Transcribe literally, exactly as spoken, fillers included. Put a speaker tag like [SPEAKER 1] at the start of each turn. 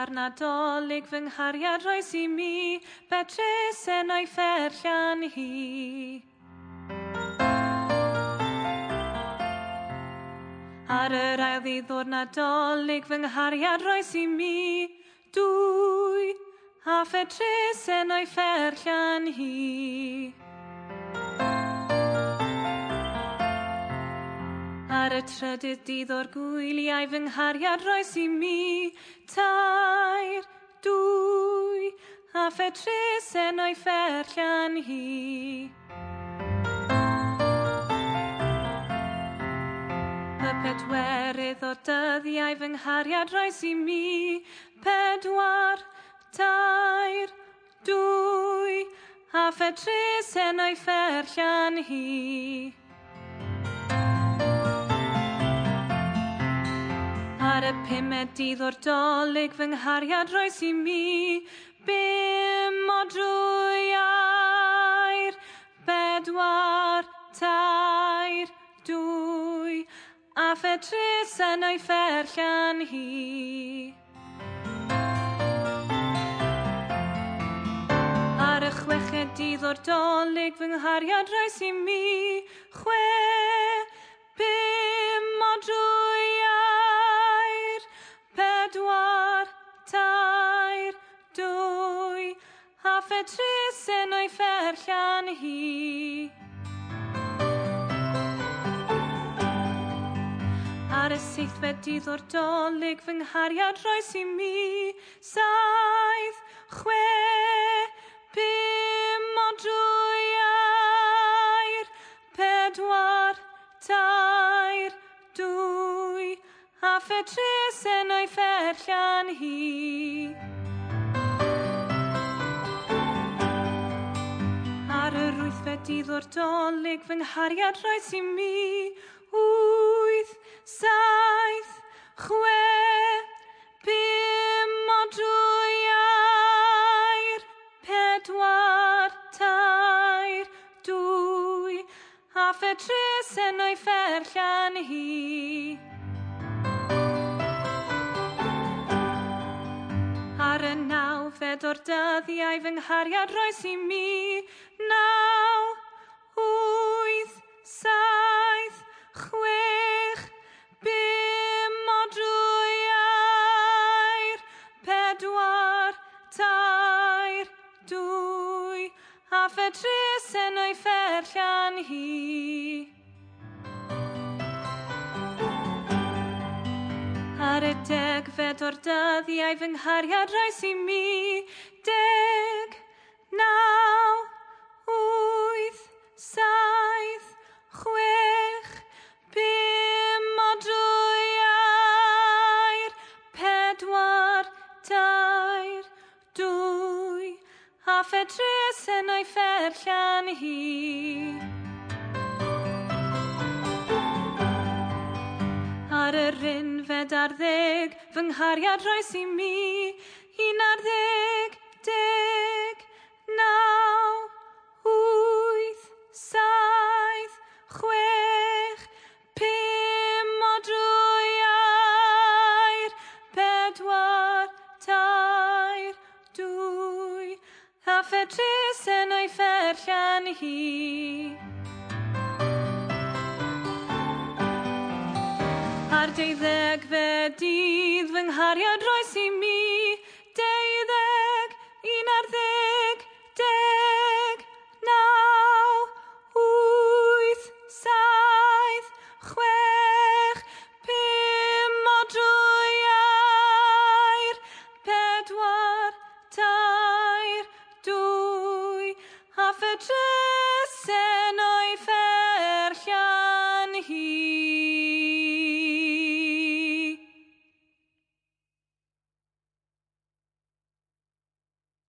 [SPEAKER 1] gynta'r Nadolig fy nghariad roes i mi, betrusen o'i fferllian hi. Ar yr ail ddydd o'r Nadolig fy nghariad roes i mi, dwy, a phetrusen o'i fferllian hi. Ar y trydydd dydd o'r gwyliau fy nghariad roes i mi, tair, dwy, a phetrusen o'i fferllian hi. Y pedwerydd o'r dyddiau fy nghariad roes i mi, pedwar, tair, dwy, a phetrusen o'i fferllian hi. Ar y pumed dydd o'r Dolig fy nghariad roes i mi, bum o drwy air, bedwar, tair, dwy, a phetrusen o'i fferllian hi. Ar y chweched dydd o'r Dolig fy nghariad roes i mi, chwe, pum o drwy air, pedwar, tair, dwy, a phetrusen o'i fferllian hi. Ar y seithfed dydd o'r Dolig fy nghariad roes i mi, saith, chwe, pum o drwy air, pedwar, tair, dwy, a phetrusen o'i fferllian hi. Ar yr wythfed dydd o'r Dolig fy nghariad roes i mi, wyth, saith, chwe, pum o drwy air, pedwar, tair, dwy, a phetrusen o'i fferllian hi. Ar y nawfed o'r dyddiau fy nghariad roes i mi, naw, wyth, saith, chwech, pum o drwy air, pedwar, tair, dwy, a phetrusen o'i fferllian hi. Ar y degfed o'r dyddiau fy nghariad roes i mi, deg, naw, wyth, saith, chwech, pum o drwy air, pedwar, tair, dwy, a phetrusen o'i fferllian hi. Ar yr unfed ar ddeg fy nghariad roes i mi, un ar ddeg, deg, naw, wyth, saith, chwech, pum o drwy air, pedwar, tair, dwy, a phetrusen o'i fferllian hi. Ar deuddegfed dydd fy nghariad